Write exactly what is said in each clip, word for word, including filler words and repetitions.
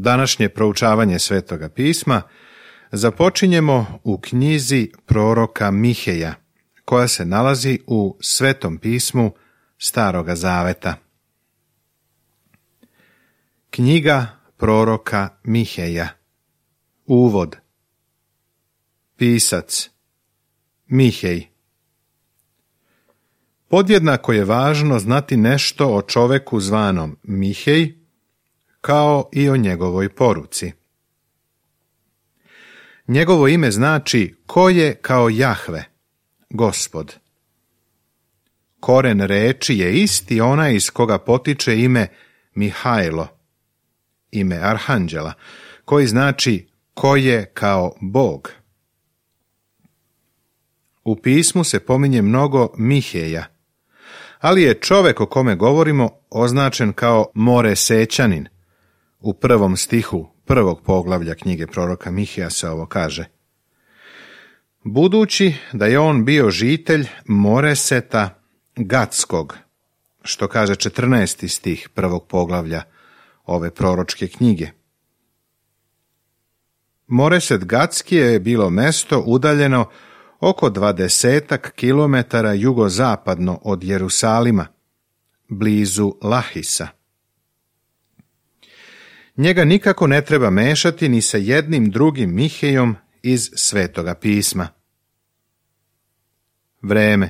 Današnje proučavanje Svetoga pisma započinjemo u knjizi proroka Miheja, koja se nalazi u Svetom pismu Staroga zaveta. Knjiga proroka Miheja. Uvod. Pisac Mihej. Podjednako je važno znati nešto o čoveku zvanom Mihej, kao i o njegovoj poruci. Njegovo ime znači ko je kao Jahve, Gospod. Koren reči je isti onaj iz koga potiče ime Mihajlo, ime arhanđela, koji znači ko je kao Bog. U pismu se pominje mnogo Miheja, ali je čovek o kome govorimo označen kao Moresećanin. U prvom stihu prvog poglavlja knjige proroka Miheja se ovo kaže: budući da je on bio žitelj Moreseta Gatskog, što kaže četrnaesti stih prvog poglavlja ove proročke knjige. Moreset Gatski je bilo mesto udaljeno oko dvadesetak kilometara jugozapadno od Jerusalima, blizu Lahisa. Njega nikako ne treba mešati ni sa jednim drugim Mihejom iz Svetoga pisma. Vreme.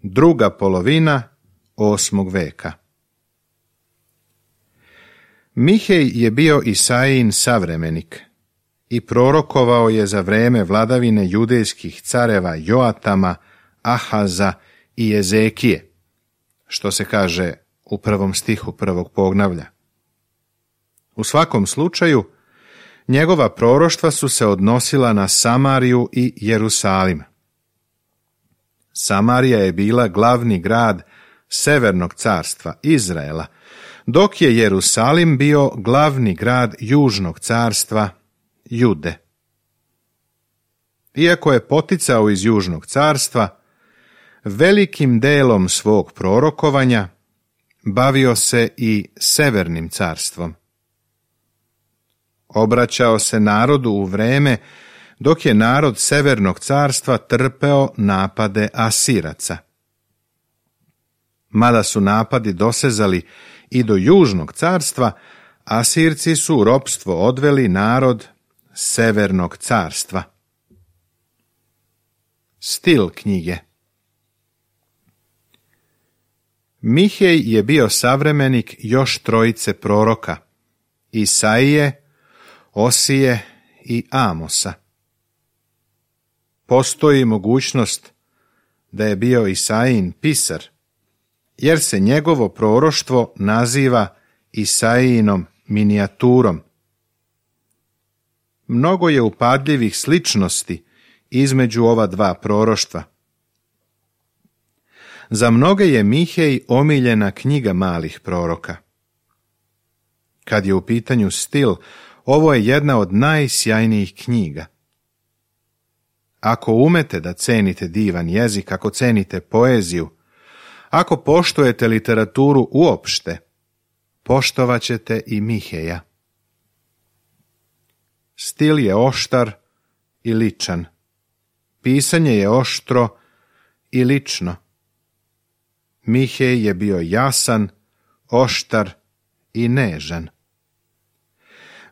Druga polovina osmog veka. Mihej je bio Isaijin savremenik i prorokovao je za vreme vladavine judejskih careva Joatama, Ahaza i Ezekije, što se kaže u prvom stihu prvog poglavlja. U svakom slučaju, njegova proroštva su se odnosila na Samariju i Jerusalim. Samarija je bila glavni grad Severnog carstva Izraela, dok je Jerusalim bio glavni grad Južnog carstva Jude. Iako je poticao iz Južnog carstva, velikim delom svog prorokovanja bavio se i Severnim carstvom. Obraćao se narodu u vreme dok je narod Severnog carstva trpeo napade Asiraca. Mada su napadi dosezali i do Južnog carstva, Asirci su u ropstvo odveli narod Severnog carstva. Stil knjige. Mihej je bio savremenik još trojice proroka, Isaije, Osije i Amosa. Postoji mogućnost da je bio Isaijin pisar, jer se njegovo proroštvo naziva Isaijinom minijaturom. Mnogo je upadljivih sličnosti između ova dva proroštva. Za mnoge je Mihej omiljena knjiga malih proroka. Kad je u pitanju stil, ovo je jedna od najsjajnijih knjiga. Ako umete da cenite divan jezik, ako cenite poeziju, ako poštujete literaturu uopšte, poštovat ćete i Miheja. Stil je oštar i ličan. Pisanje je oštro i lično. Mihej je bio jasan, oštar i nežan.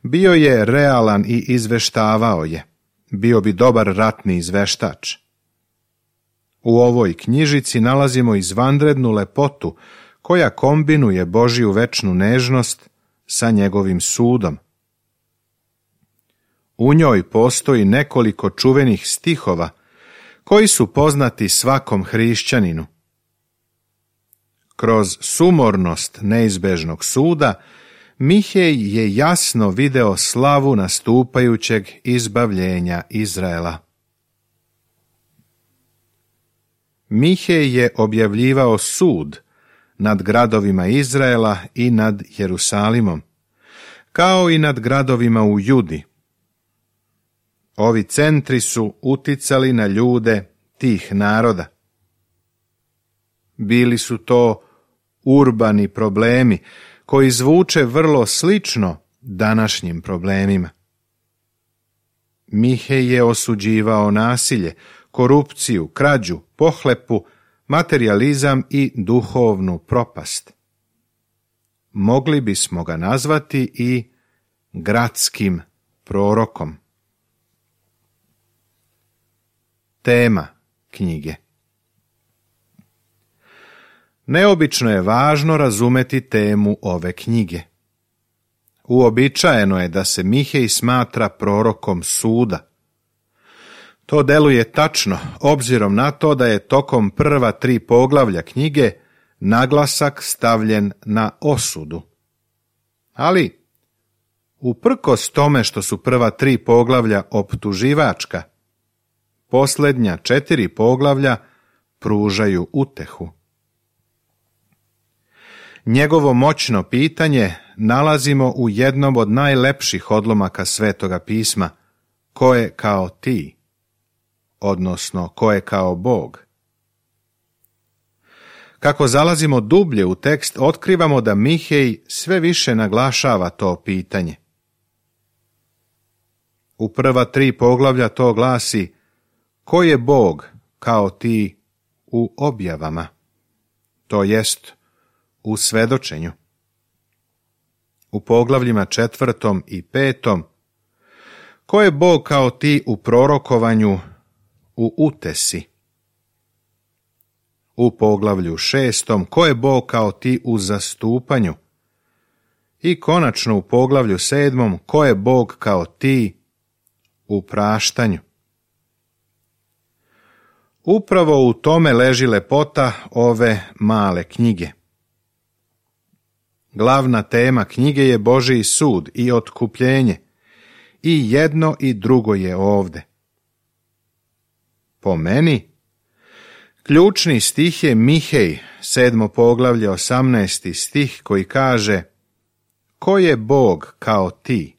Bio je realan i izveštavao je. Bio bi dobar ratni izveštač. U ovoj knjižici nalazimo izvanrednu lepotu koja kombinuje Božju večnu nežnost sa njegovim sudom. U njoj postoji nekoliko čuvenih stihova koji su poznati svakom hrišćaninu. Kroz sumornost neizbežnog suda Mihej je jasno video slavu nastupajućeg izbavljenja Izraela. Mihej je objavljivao sud nad gradovima Izraela i nad Jerusalimom, kao i nad gradovima u Judi. Ovi centri su uticali na ljude tih naroda. Bili su to urbani problemi koji zvuče vrlo slično današnjim problemima. Mihej je osuđivao nasilje, korupciju, krađu, pohlepu, materijalizam i duhovnu propast. Mogli bismo ga nazvati i gradskim prorokom. Tema knjige. Neobično je važno razumeti temu ove knjige. Uobičajeno je da se Mihej smatra prorokom suda. To deluje tačno, obzirom na to da je tokom prva tri poglavlja knjige naglasak stavljen na osudu. Ali, uprkos tome što su prva tri poglavlja optuživačka, posljednja četiri poglavlja pružaju utehu. Njegovo moćno pitanje nalazimo u jednom od najlepših odlomaka Svetoga pisma, ko je kao ti, odnosno ko je kao Bog. Kako zalazimo dublje u tekst, otkrivamo da Mihej sve više naglašava to pitanje. U prva tri poglavlja to glasi: ko je Bog kao ti u objavama, to jest u svedočenju. U poglavljima četvrtom i petom: ko je Bog kao ti u prorokovanju, u utesi. U poglavlju šestom: ko je Bog kao ti u zastupanju. I konačno u poglavlju sedmom: ko je Bog kao ti u praštanju. Upravo u tome leži lepota ove male knjige. Glavna tema knjige je Božji sud i otkupljenje, i jedno i drugo je ovde. Po meni, ključni stih je Mihej, sedmo poglavlje, osamnaesti stih, koji kaže: ko je Bog kao ti,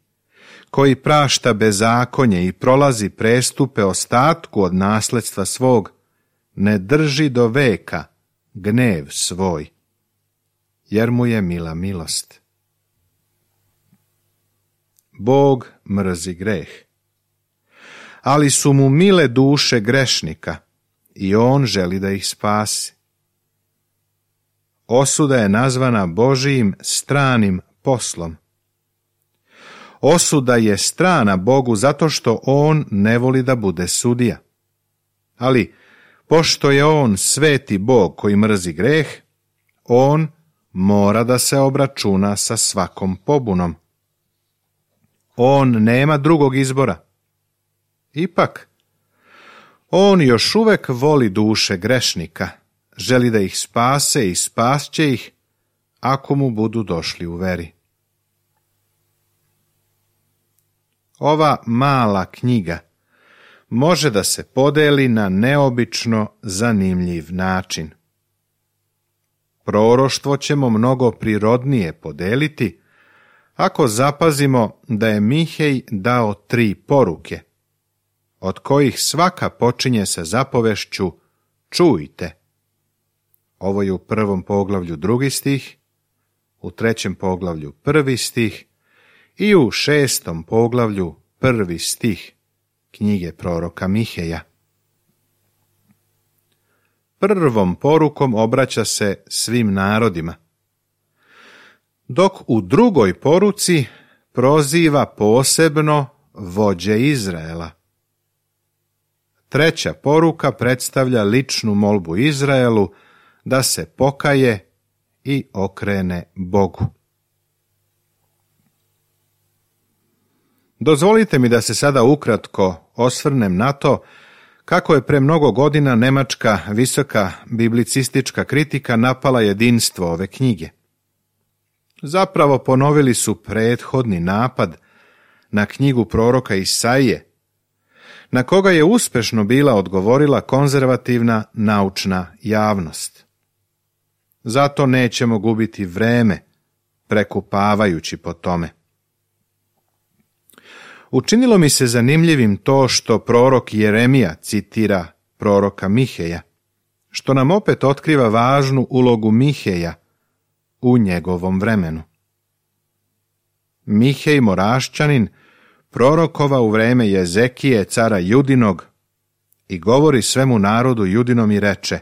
koji prašta bezakonje i prolazi prestupe ostatku od nasledstva svog, ne drži do veka gnev svoj, jer mu je mila milost. Bog mrzi greh, ali su mu mile duše grešnika i on želi da ih spasi. Osuda je nazvana Božijim stranim poslom. Osuda je strana Bogu zato što on ne voli da bude sudija. Ali, pošto je on sveti Bog koji mrzi greh, on mora da se obračuna sa svakom pobunom. On nema drugog izbora. Ipak, on još uvek voli duše grešnika, želi da ih spase i spasće ih ako mu budu došli u veri. Ova mala knjiga može da se podeli na neobično zanimljiv način. Proroštvo ćemo mnogo prirodnije podeliti ako zapazimo da je Mihej dao tri poruke, od kojih svaka počinje sa zapovešću čujte. Ovo je u prvom poglavlju drugi stih, u trećem poglavlju prvi stih i u šestom poglavlju prvi stih knjige proroka Miheja. Prvom porukom obraća se svim narodima, dok u drugoj poruci proziva posebno vođe Izraela. Treća poruka predstavlja ličnu molbu Izraelu da se pokaje i okrene Bogu. Dozvolite mi da se sada ukratko osvrnem na to kako je pre mnogo godina nemačka visoka biblicistička kritika napala jedinstvo ove knjige. Zapravo ponovili su prethodni napad na knjigu proroka Isaije, na koga je uspešno bila odgovorila konzervativna naučna javnost. Zato nećemo gubiti vreme prekupavajući po tome. Učinilo mi se zanimljivim to što prorok Jeremija citira proroka Miheja, što nam opet otkriva važnu ulogu Miheja u njegovom vremenu. Mihej Morašćanin prorokova u vreme Jezekije, cara Judinog, i govori svemu narodu Judinom i reče: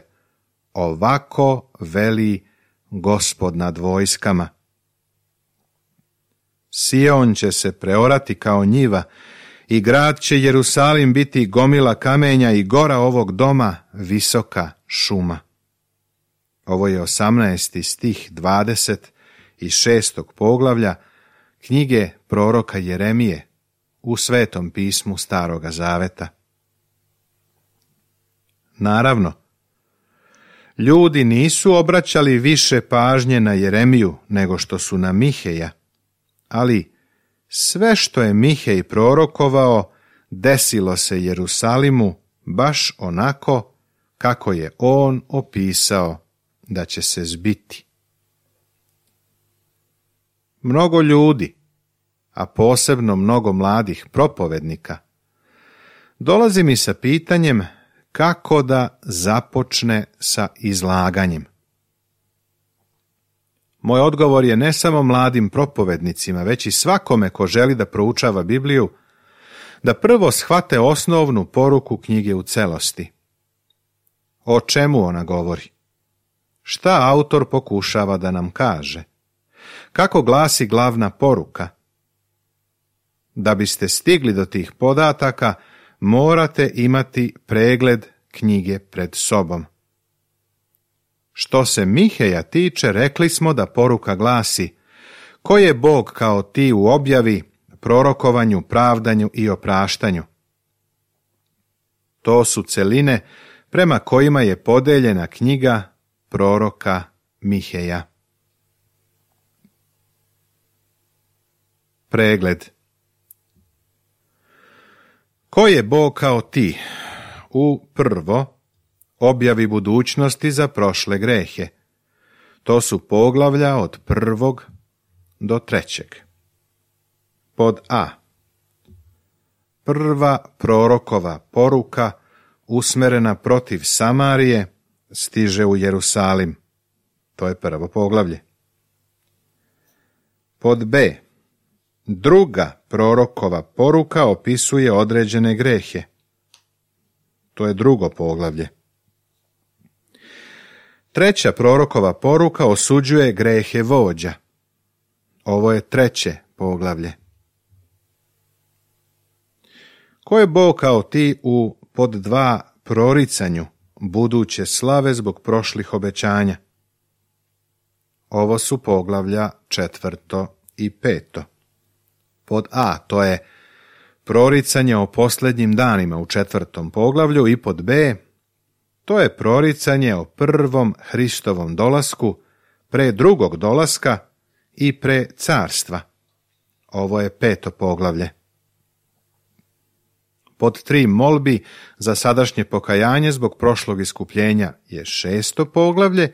ovako veli Gospod nad vojskama. Sion će se preorati kao njiva i grad će Jerusalim biti gomila kamenja i gora ovog doma visoka šuma. Ovo je osamnaesti stih dvadeset šestog poglavlja knjige proroka Jeremije u Svetom pismu Staroga Zaveta. Naravno, ljudi nisu obraćali više pažnje na Jeremiju nego što su na Miheja, ali sve što je Mihej prorokovao desilo se Jerusalimu baš onako kako je on opisao da će se zbiti. Mnogo ljudi, a posebno mnogo mladih propovednika, dolazi mi sa pitanjem kako da započne sa izlaganjem. Moj odgovor je ne samo mladim propovednicima, već i svakome ko želi da proučava Bibliju, da prvo shvate osnovnu poruku knjige u celosti. O čemu ona govori? Šta autor pokušava da nam kaže? Kako glasi glavna poruka? Da biste stigli do tih podataka, morate imati pregled knjige pred sobom. Što se Miheja tiče, rekli smo da poruka glasi: ko je Bog kao ti u objavi, prorokovanju, pravdanju i opraštanju? To su celine prema kojima je podeljena knjiga proroka Miheja. Pregled. Ko je Bog kao ti? U prvo, objavi budućnosti za prošle grehe. To su poglavlja od prvog do trećeg. Pod A. Prva prorokova poruka usmerena protiv Samarije stiže u Jerusalim. To je prvo poglavlje. Pod B. Druga prorokova poruka opisuje određene grehe. To je drugo poglavlje. Treća prorokova poruka osuđuje grehe vođa. Ovo je treće poglavlje. Ko je Bog kao ti u pod dva proricanju buduće slave zbog prošlih obećanja? Ovo su poglavlja četvrto i peto. Pod A, to je proricanje o posljednjim danima u četvrtom poglavlju, i pod B, to je proricanje o prvom Hristovom dolasku, pre drugog dolaska i pre carstva. Ovo je peto poglavlje. Pod tri molbi za sadašnje pokajanje zbog prošlog iskupljenja je šesto poglavlje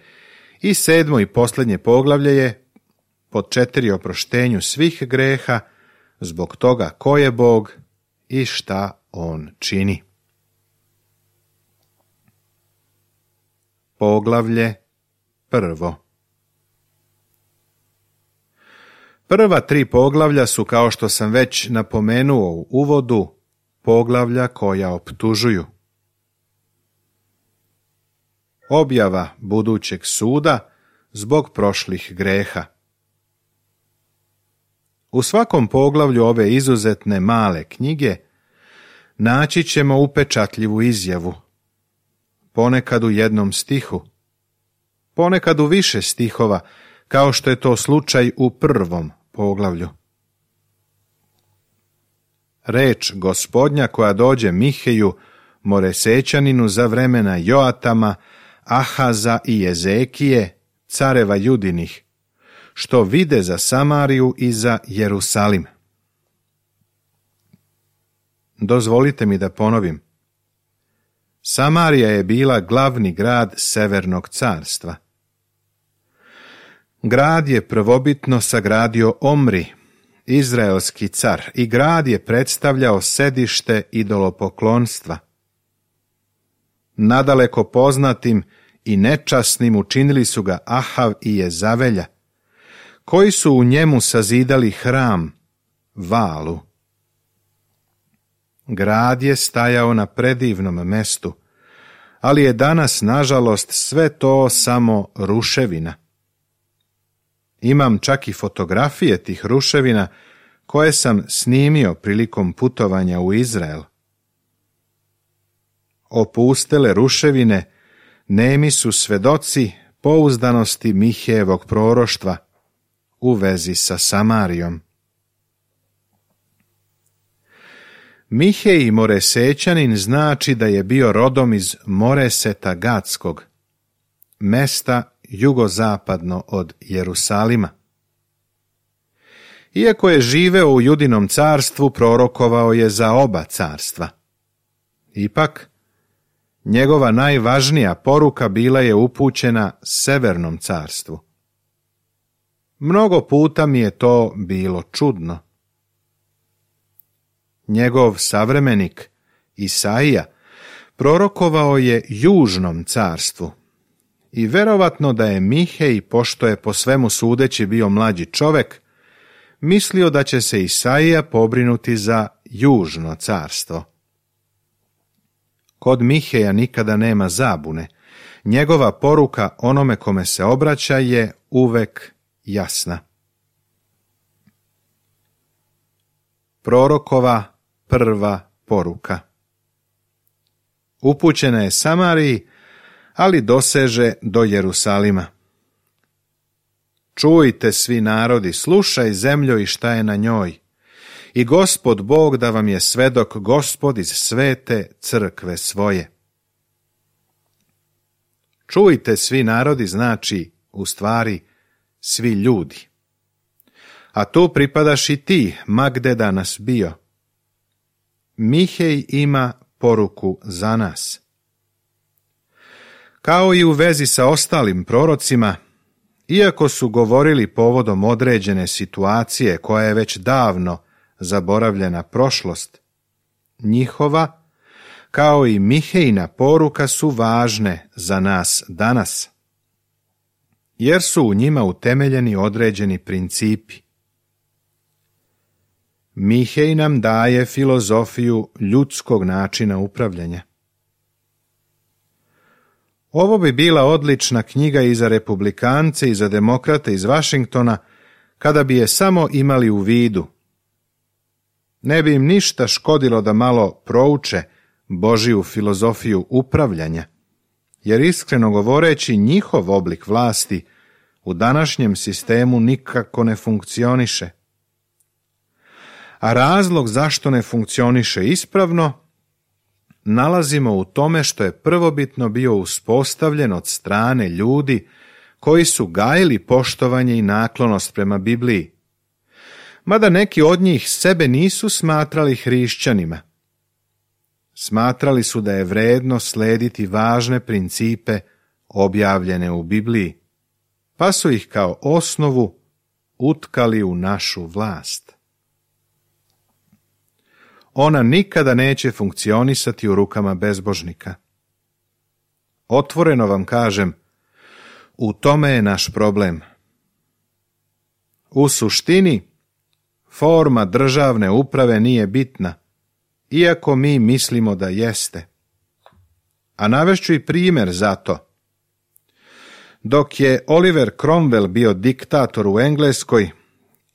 i sedmo i posljednje poglavlje je pod četiri oproštenju svih greha zbog toga ko je Bog i šta on čini. Poglavlje prvo. Prva tri poglavlja su, kao što sam već napomenuo u uvodu, poglavlja koja optužuju. Objava budućeg suda zbog prošlih greha. U svakom poglavlju ove izuzetne male knjige naći ćemo upečatljivu izjavu, ponekad u jednom stihu, ponekad u više stihova, kao što je to slučaj u prvom poglavlju. Reč Gospodnja koja dođe Miheju, Moresečaninu, za vremena Joatama, Ahaza i Jezekije, careva Judinih, što vide za Samariju i za Jerusalim. Dozvolite mi da ponovim. Samarija je bila glavni grad Severnog carstva. Grad je prvobitno sagradio Omri, izraelski car, i grad je predstavljao sedište idolopoklonstva. Nadaleko poznatim i nečasnim učinili su ga Ahav i Jezavelja, koji su u njemu sazidali hram valu. Grad je stajao na predivnom mestu, ali je danas, nažalost, sve to samo ruševina. Imam čak i fotografije tih ruševina koje sam snimio prilikom putovanja u Izrael. Opustele ruševine nemi su svedoci pouzdanosti Mihejevog proroštva u vezi sa Samarijom. Mihej Moresečanin znači da je bio rodom iz Moreseta Gatskog, mesta jugozapadno od Jerusalima. Iako je živeo u Judinom carstvu, prorokovao je za oba carstva. Ipak, njegova najvažnija poruka bila je upućena Severnom carstvu. Mnogo puta mi je to bilo čudno. Njegov savremenik, Isaija, prorokovao je Južnom carstvu i verovatno da je Mihej, pošto je po svemu sudeći bio mlađi čovek, mislio da će se Isaija pobrinuti za Južno carstvo. Kod Miheja nikada nema zabune. Njegova poruka onome kome se obraća je uvek jasna. Prorokova prva poruka. Upućena je Samariji, ali doseže do Jerusalima. Čujte svi narodi, slušaj zemljo i šta je na njoj. I Gospod Bog da vam je svedok, Gospod iz svete crkve svoje. Čujte svi narodi znači, u stvari, svi ljudi. A tu pripadaš i ti, ma gde danas bio. Mihej ima poruku za nas. Kao i u vezi sa ostalim prorocima, iako su govorili povodom određene situacije koja je već davno zaboravljena prošlost, njihova, kao i Mihejina poruka su važne za nas danas, jer su u njima utemeljeni određeni principi. Mihej nam daje filozofiju ljudskog načina upravljanja. Ovo bi bila odlična knjiga i za republikance i za demokrate iz Vašingtona, kada bi je samo imali u vidu. Ne bi im ništa škodilo da malo prouče Božiju filozofiju upravljanja, jer iskreno govoreći njihov oblik vlasti u današnjem sistemu nikako ne funkcioniše. A razlog zašto ne funkcioniše ispravno nalazimo u tome što je prvobitno bio uspostavljen od strane ljudi koji su gajili poštovanje i naklonost prema Bibliji, mada neki od njih sebe nisu smatrali hrišćanima. Smatrali su da je vredno slediti važne principe objavljene u Bibliji, pa su ih kao osnovu utkali u našu vlast. Ona nikada neće funkcionisati u rukama bezbožnika. Otvoreno vam kažem, u tome je naš problem. U suštini, forma državne uprave nije bitna, iako mi mislimo da jeste. A navešću i primjer za to. Dok je Oliver Cromwell bio diktator u Engleskoj,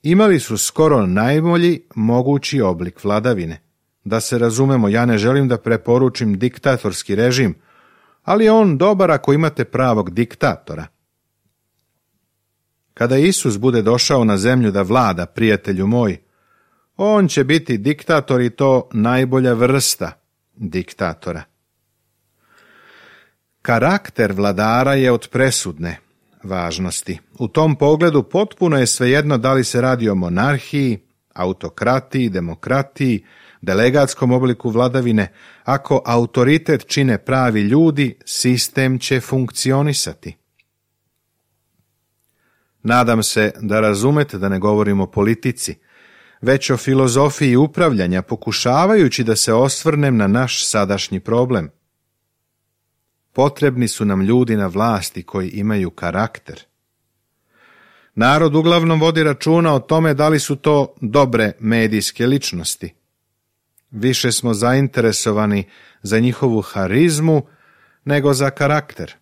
imali su skoro najbolji mogući oblik vladavine. Da se razumemo, ja ne želim da preporučim diktatorski režim, ali je on dobar ako imate pravog diktatora. Kada Isus bude došao na zemlju da vlada, prijatelju moj, on će biti diktator i to najbolja vrsta diktatora. Karakter vladara je od presudne važnosti. U tom pogledu potpuno je svejedno da li se radi o monarhiji, autokratiji, demokratiji, delegatskom obliku vladavine. Ako autoritet čine pravi ljudi, sistem će funkcionisati. Nadam se da razumete da ne govorim o politici, već o filozofiji upravljanja, pokušavajući da se osvrnem na naš sadašnji problem. Potrebni su nam ljudi na vlasti koji imaju karakter. Narod uglavnom vodi računa o tome da li su to dobre medijske ličnosti. Više smo zainteresovani za njihovu harizmu nego za karakter.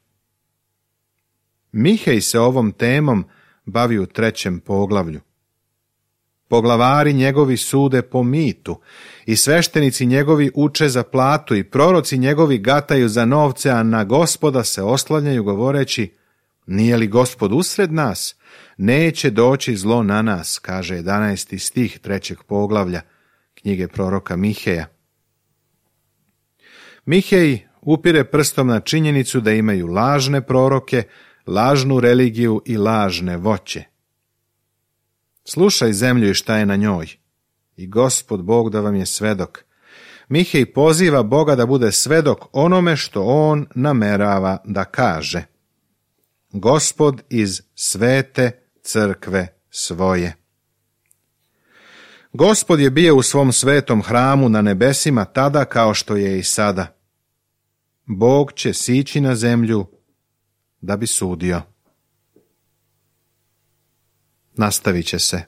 Mihej se ovom temom bavi u trećem poglavlju. Poglavari njegovi sude po mitu i sveštenici njegovi uče za platu i proroci njegovi gataju za novce, a na Gospoda se oslanjaju govoreći: nije li Gospod usred nas? Neće doći zlo na nas, kaže jedanaesti stih trećeg poglavlja knjige proroka Miheja. Mihej upire prstom na činjenicu da imaju lažne proroke, lažnu religiju i lažne voće. Slušaj zemlju i šta je na njoj. I Gospod Bog da vam je svedok. Mihej poziva Boga da bude svedok onome što on namerava da kaže. Gospod iz svete crkve svoje. Gospod je bio u svom svetom hramu na nebesima tada kao što je i sada. Bog će sići na zemlju da bi sudio. Nastavit će se.